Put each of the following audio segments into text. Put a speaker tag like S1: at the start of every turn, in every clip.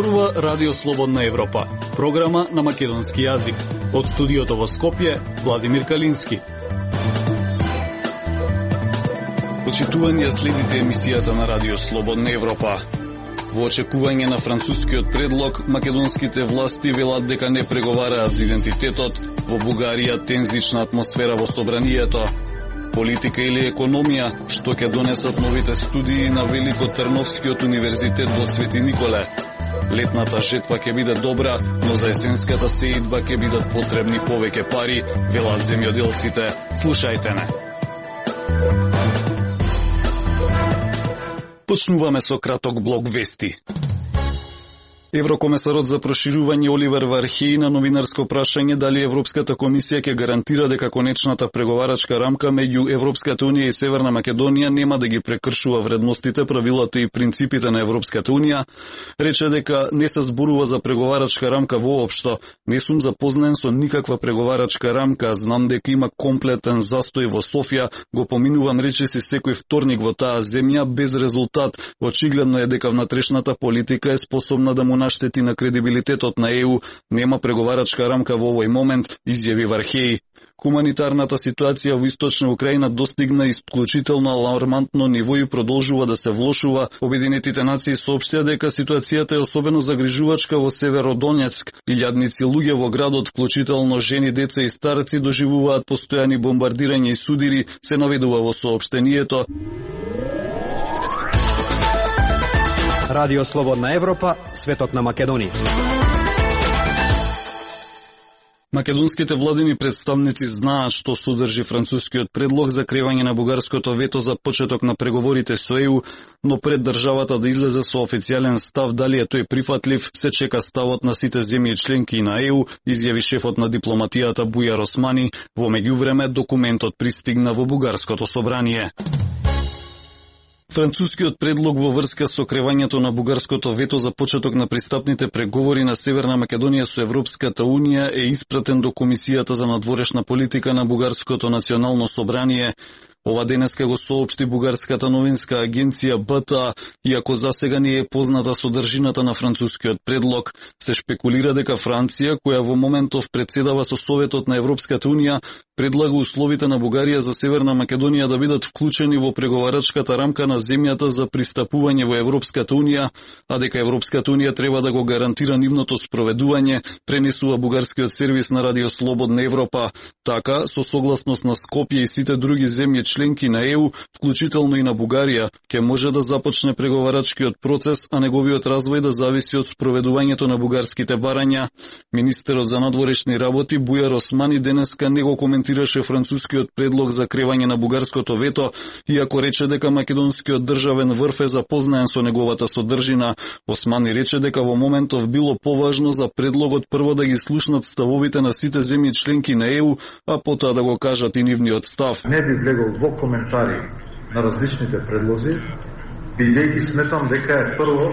S1: Зборува Радио Слободна Европа, програма на македонски јазик. Од студиото во Скопје, Владимир Калински. Почитувани, следите емисијата на Радио Слободна Европа. Во очекување на францускиот предлог, македонските власти велат дека не преговараат за идентитетот, во Бугарија тензична атмосфера во собранието. Политика или економија, што ќе донесат новите студии на Великотрновскиот универзитет во Свети Николе. Летната жетва ќе биде добра, но за есенската сеидба ќе бидат потребни повеќе пари, велат земјоделците. Слушајте не. Почнуваме со краток блок вести. Еврокомесарот за проширување Оливер Вархеј на новинарско прашање дали Европската комисија ќе гарантира дека конечната преговарачка рамка меѓу Европската унија и Северна Македонија нема да ги прекршува вредностите, правилата и принципите на Европската унија, рече дека не се зборува за преговарачка рамка воопшто. Не сум запознаен со никаква преговарачка рамка, знам дека има комплетен застој во Софија, го поминувам речиси секој вторник во таа земја без резултат. Очигледно е дека внатрешната политика е способна да му наштети на кредибилитетот на ЕУ, нема преговарачка рамка во овој момент, изјави Вархеј. Хуманитарната ситуација во Источна Украина достигна исклучително алармантно ниво и продолжува да се влошува. Обединетите нации соопштија дека ситуацијата е особено загрижувачка во Северодонецк. Илјадници луѓе во градот, вклучително жени, деца и старци, доживуваат постојани бомбардирања и судири, се наведува во соопштението.
S2: Радио Слободна Европа, светот на Македонија.
S1: Македонските владини представници знаат што содржи францускиот предлог за кревање на бугарското вето за почеток на преговорите со ЕУ, но пред државата да излезе со официјален став дали е тој прифатлив, се чека ставот на сите земји членки на ЕУ, изјави шефот на дипломатијата Бујар Османи. Во меѓувреме документот пристигна во бугарското собрание. Францускиот предлог во врска со кревањето на бугарското вето за почеток на пристапните преговори на Северна Македонија со Европската унија е испратен до Комисијата за надворешна политика на Бугарското национално собрание. Ова денеска го соопшти бугарската новинска агенција БТА, иако засега не е позната содржината на францускиот предлог. Се шпекулира дека Франција, која во моментов председава со Советот на Европската унија, предлага условите на Бугарија за Северна Македонија да бидат вклучени во преговарачката рамка на земјата за пристапување во Европската унија, а дека Европската унија треба да го гарантира нивното спроведување, пренесува бугарскиот сервис на Радио Слободна Европа. Така, со согласност на Скопје и сите други земји членки на ЕУ, вклучително и на Бугарија, ќе може да започне преговарачкиот процес, а неговиот развој да зависи од спроведувањето на бугарските барања. Министерот за надворешни работи Бујар Османи денеска не го коментираше францускиот предлог за кревање на бугарското вето, иако рече дека македонскиот државен врв е запознаен со неговата содржина. Османи рече дека во моментов било поважно за предлогот прво да ги слушнат ставовите на сите земји членки на ЕУ, а потоа да го кажат и нивниот став.
S3: Не би влегол во коментари на различните предлози, бидејќи сметам дека е прво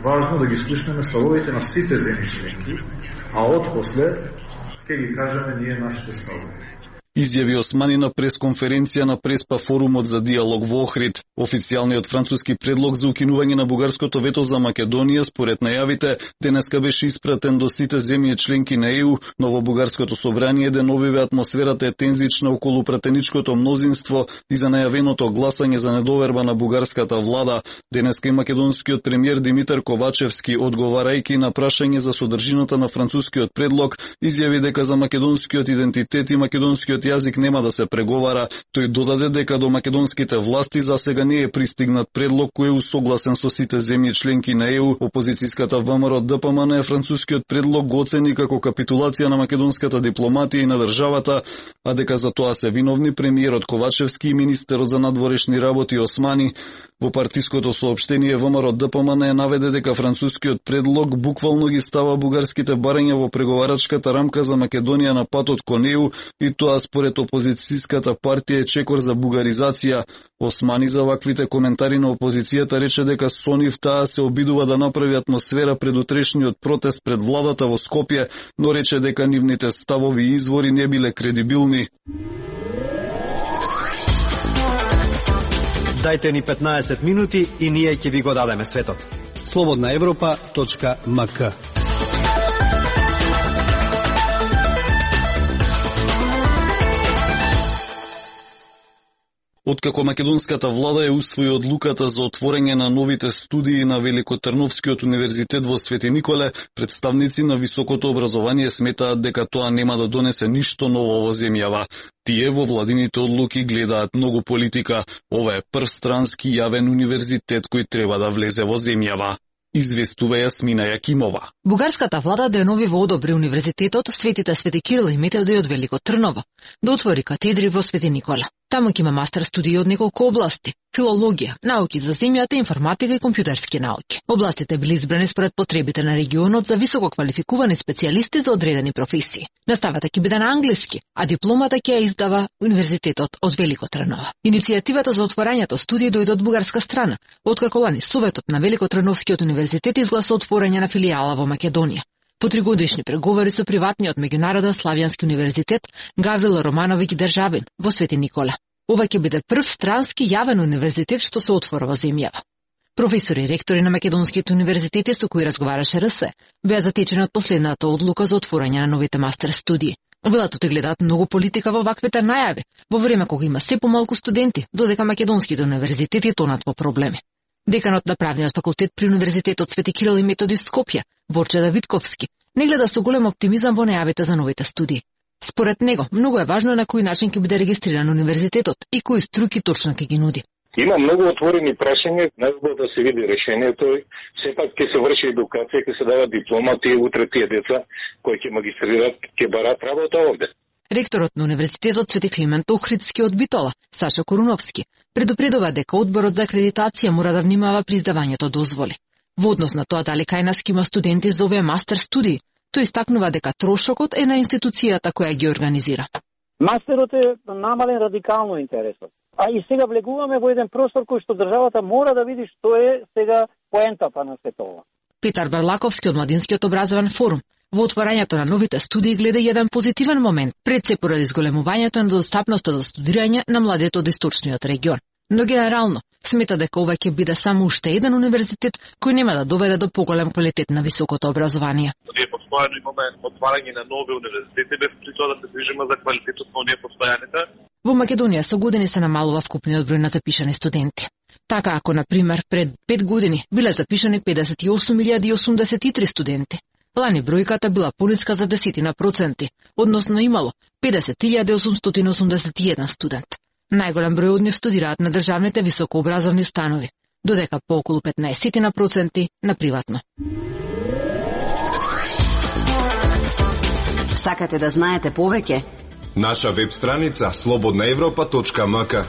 S3: важно да ги слушнеме ставовите на сите земји членки, а отпосле ќе ги кажеме ние нашите ставови.
S1: Изјави Османи на пресконференција на Преспа форумот за диалог во Охрид. Официјалниот француски предлог за укинување на бугарското вето за Македонија, според најавите, денеска беше испратен до сите земји членки на ЕУ, но во бугарското собрание деновиве атмосферата е тензична околу пратеничкото мнозинство и за најавеното гласање за недоверба на бугарската влада. Денеска и македонскиот премиер Димитар Ковачевски, одговарајќи на прашање за содржината на францускиот предлог, изјави дека за македонскиот идентитет и македонскиот јазик нема да се преговара. Тој додаде дека до македонските власти засега не е пристигнат предлог кој е усогласен со сите земји членки на ЕУ. Опозицијската ВМРО ДПМН францускиот предлог го оцени како капитулација на македонската дипломатија и на државата, а дека за тоа се виновни премиерот Ковачевски и министерот за надворешни работи Османи. Во партиското соопштение ВМРО ДПМН наведе дека францускиот предлог буквално ги става бугарските барања во преговарачката рамка за Македонија на патот кон ЕУ и тоа според опозицијската партија е чекор за бугаризација. Османи за ваквите коментари на опозицијата рече дека со нив таа се обидува да направи атмосфера пред утрешниот протест пред владата во Скопје, но рече дека нивните ставови и извори не биле кредибилни.
S2: Дајте ни 15 минути и ние ќе ви го дадеме светот. slobodnaevropa.mk.
S1: Откако македонската влада ја усвои одлуката за отворање на новите студии на Великотрновскиот универзитет во Свети Николе, представници на високото образование сметаат дека тоа нема да донесе ништо ново во земјава. Тие во владините одлуки гледаат многу политика. Ова е прв странски јавен универзитет кој треба да влезе во земјава. Известува Јасмина Јакимова.
S4: Бугарската влада деново одобри универзитетот Свети Кирил и Методиј од Велико Трново да отвори катедри во Свети Никола. Таму ќе има мастер студии од неколку области: филологија, науки за земјата, информатика и компјутерски науки. Областите били избрани според потребите на регионот за високо квалификувани специјалисти за одредени професии. Наставата ќе биде на англиски, а дипломата ќе ја издава Универзитетот од Велико Трново. Иницијативата за отворањето студии дојде од бугарска страна, откако лани Советот на Великотрновскиот универзитет изгласа отворање на филијала во Македонија. По 3-годишни преговори со приватниот меѓународен славјански универзитет Гаврило Романовиќ Државин во Свети Никола. Ова ќе биде прв странски јавен универзитет што се отвора во земјава. Професори и ректори на македонските универзитети со кои разговараше РС беа затечени од последната одлука за отворање на новите мастер студии. Владата гледаат многу политика во ваквите најави, во време кога има се помалку студенти, додека македонските универзитети тонат во проблеми. Деканот на правниот факултет при Универзитетот Свети Кирил и Методиј Скопје, Борче Давидковски, не гледа со голем оптимизам во најавите за новите студии. Според него, многу е важно на кој начин ќе биде регистриран универзитетот и кои струки точно ќе ги нуди.
S5: Има многу отворени прашања, надо да се види решението. Сепак ќе се врши едукација, ќе се дава диплома, тие утре тие деца кои ќе магистрират, ќе барат работа овде.
S4: Ректорот на Универзитетот Свети Климент Охридски од Битола, Саша Коруновски, предупредува дека одборот за акредитација мора да внимава при издавањето дозволи. Во однос на тоа дали кај нас има студенти за овие мастер студии, тој истакнува дека трошокот е на институцијата која ги организира.
S6: Мастерот е намален радикално интересот. А и сега влегуваме во еден простор кој што државата мора да види што е сега поентата на сето ова.
S4: Петар Барлаковски од Младинскиот образовен форум во отворањето на новите студии гледа еден позитивен момент, пред се поради зголемувањето на достапноста за студирање на младите од источниот регион. Но генерално смета дека ова ќе биде само уште еден универзитет кој нема да доведе до поголем квалитет на високото образование.
S7: Ние постојано имаме отварање на нови универзитети без при тоа да се движиме за квалитетот на оние постојаните.
S4: Во Македонија со години се намалува вкупниот број на запишани студенти. Така ако на пример пред 5 години биле запишани 58.083 студенти, лани бројката била пониска за 10%, односно имало 50.881 студент. Најголем број од нив студираат на државните високообразовни станови, додека по околу 15% на приватно.
S8: Сакате да знаете повеќе?
S9: Наша веб страница slobodnaevropa.mk.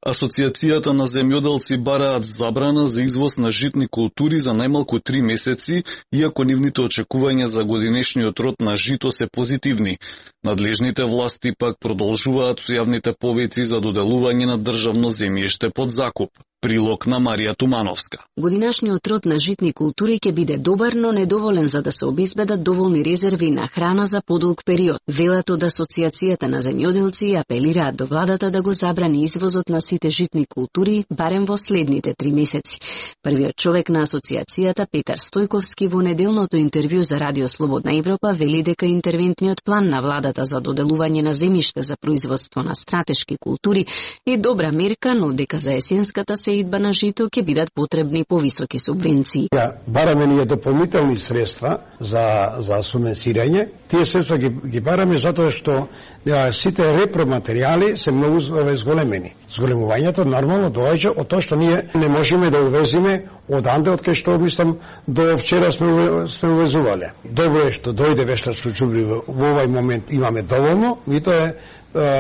S1: Асоциацијата на земјоделци бараат забрана за извоз на житни култури за најмалку 3 месеци, иако нивните очекувања за годинешниот род на жито се позитивни. Надлежните власти пак продолжуваат со јавните повици за доделување на државно земјиште под закуп. Прилог на Марија Тумановска.
S8: Годинашниот род на житни култури ќе биде добар, но недоволен за да се обезбедат доволни резерви на храна за подолг период. Велат од Асоциацијата на земјоделци апелираат до владата да го забрани извозот на сите житни култури барем во следните 3 месеци. Првиот човек на асоциацијата, Петар Стојковски, во неделното интервју за Радио Слободна Европа вели дека интервентниот план на владата за доделување на земјиште за производство на стратешки култури е добра мерка, но дека за есенската сеидба на жито ќе бидат потребни повисоки субвенции.
S10: Бараме ние дополнителни средства за субвенцирање. Тие средства ги бараме затоа што сите репроматеријали се многу зголемени. Зголемувањето нормално доаѓа од тоа што ние не можеме да увезиме од анде, од кај што мислам до вчера сме увезувале. Добро е што дојде вештарско џубливо, во овај момент имаме доволно, и тоа е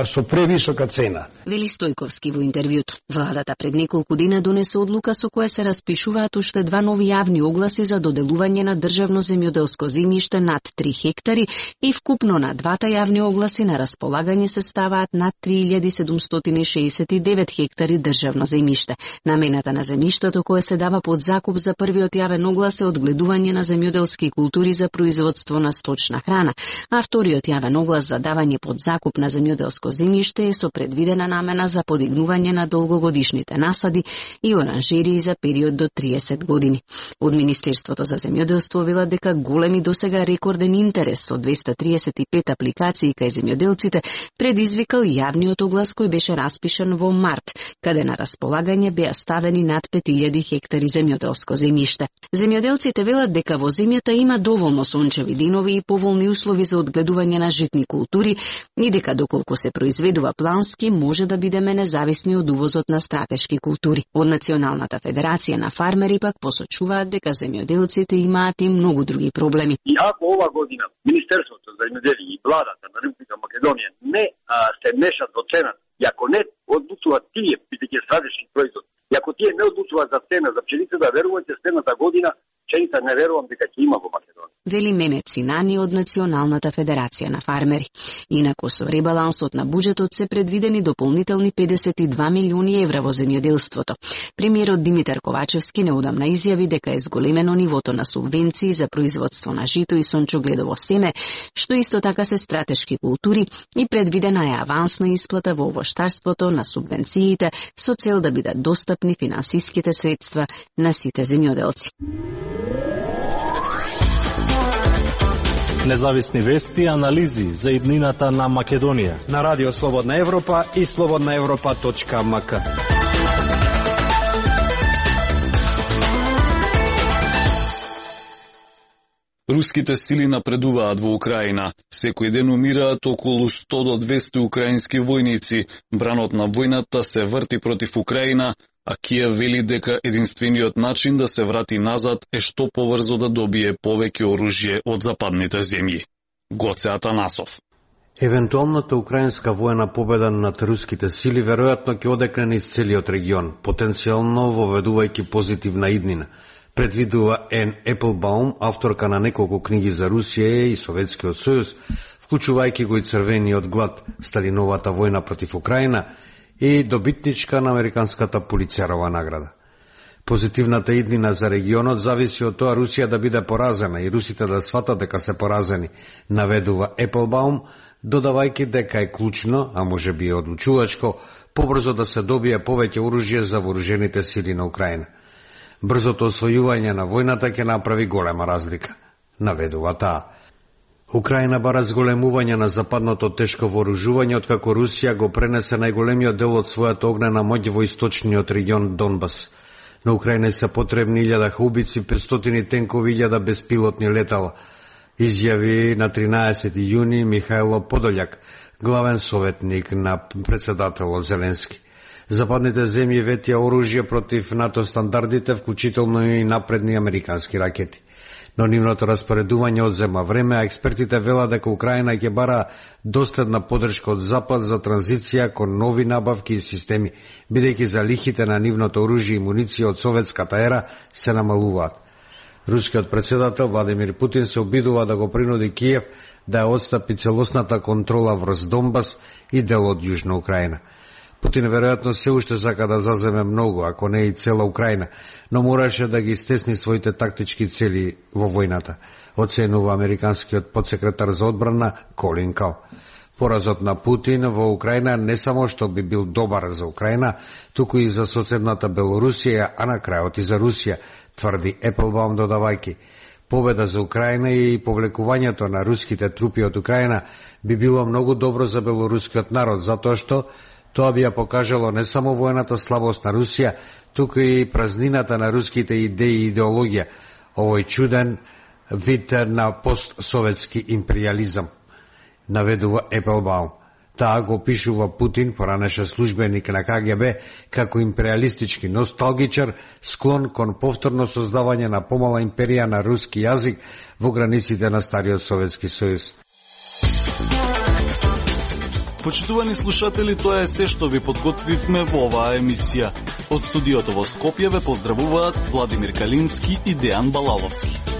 S10: со превисока цена.
S8: Вели Стојковски во интервјуто. Владата пред неколку дена донесе одлука со која се распишуваат уште 2 нови јавни огласи за доделување на државно земјоделско земјиште над 3 хектари и вкупно на двата јавни огласи на располагање се ставаат над 3769 хектари државно земјиште. Намената на земјиштето кое се дава под закуп за првиот јавен оглас е одгледување на земјоделски култури за производство на сточна храна, а вториот јавен оглас за давање под закуп на земјоделски земјоделско земјиште е со предвидена намена за подигнување на долгогодишните насади и оранжерии за период до 30 години. Од Министерството за земјоделство велат дека големи досега рекорден интерес со 235 апликации кај земјоделците предизвикал јавниот оглас кој беше распишан во март, каде на располагање беа ставени над 5000 хектари земјоделско земјиште. Земјоделците велат дека во земјата има доволно сончеви денови и поволни услови за одгледување на житни култури и дека доколку се произведува плански може да бидеме независни од увозот на стратешки култури. Од Националната федерација на фармери пак посочуваат дека земјоделците имаат и многу други проблеми.
S11: И ако ова година Министерството за земјоделие и владата на Република Македонија не се мешат во цената, и ако не одлучуваат тие бидејќи стратешки производ, и ако тие не одлучуваат за цена за пшеницата, верувате следната година пшеница не верувам дека ќе има во Македонија.
S8: Вели Мемет Синани од Националната федерација на фармери. Инаку со ребалансот на буџетот се предвидени дополнителни 52 милиони евра во земјоделството. Премиерот Димитар Ковачевски неодамна изјави дека е зголемено нивото на субвенции за производство на жито и сончогледово семе, што исто така се стратешки култури и предвидена е авансна исплата во овоштарството на субвенциите со цел да бидат достапни финансиските средства на сите земјоделци.
S12: Независни вести и анализи за иднината на Македонија
S2: на Радио Слободна Европа и slobodnaevropa.mk.
S1: Руските сили напредуваат во Украина. Секој ден умираат околу 100 до 200 украински војници. Бранот на војната се врти против Украина, а Киев вели дека единствениот начин да се врати назад е што побрзо да добие повеќе оружје од западните земји. Гоце Атанасов.
S13: Евентуалната украинска војна победа над руските сили веројатно ќе одекне низ целиот регион, потенцијално воведувајќи позитивна иднина, предвидува Ен Еплбаум, авторка на неколку книги за Русија и Советскиот сојуз, вклучувајќи го и Црвениот глад, Сталиновата војна против Украина и добитничка на Американската Пулицерова награда. Позитивната иднина за регионот зависи од тоа Русија да биде поразена и русите да сватат дека се поразени, наведува Еплбаум, додавајќи дека е клучно, а може би и одлучувачко, побрзо да се добие повеќе оружје за вооружените сили на Украина. Брзото освојување на војната ќе направи голема разлика, наведува таа. Украина бара зголемување на западното тешко вооружување откако Русија го пренесе најголемиот дел од својата огнена моќ во источниот регион Донбас. На Украина се потребни 1000 хаубици, 500 тенкови, 1000 беспилотни летала, изјави на 13 јуни Михајло Подољак, главен советник на председателот Зеленски. Западните земји ветија оружје против НАТО стандардите, вклучително и напредни американски ракети. Но нивното распоредување одзема време, а експертите велат дека Украина ќе бара доследна поддршка од Запад за транзиција кон нови набавки и системи, бидејќи залихите на нивното оружје и муниција од советската ера се намалуваат. Рускиот председател Владимир Путин се обидува да го принуди Киев да ја отстапи целосната контрола врз Донбас и дел од Јужна Украина. Путин веројатно се уште сака да заземе многу, ако не и цела Украина, но мораше да ги стесни своите тактички цели во војната, оценува американскиот подсекретар за одбрана Колин Кал. Поразот на Путин во Украина не само што би бил добар за Украина, туку и за соседната Белорусија, а на крајот и за Русија, тврди Еплбаум додавајќи. Победа за Украина и повлекувањето на руските трупи од Украина би било многу добро за белорускиот народ, затоа што тоа би ја покажало не само војната слабост на Русија, туку и празнината на руските идеи и идеологија, овој чуден вид на постсоветски империализам, наведува Еплбаум. Таа го пишува Путин, поранеше службеник на КГБ, како империалистички носталгичар, склон кон повторно создавање на помала империја на руски јазик во границите на стариот Советски сојуз.
S1: Почитувани слушатели, тоа е се што ви подготвивме во оваа емисија. Од студиото во Скопје ве поздравуваат Владимир Калински и Дејан Балаловски.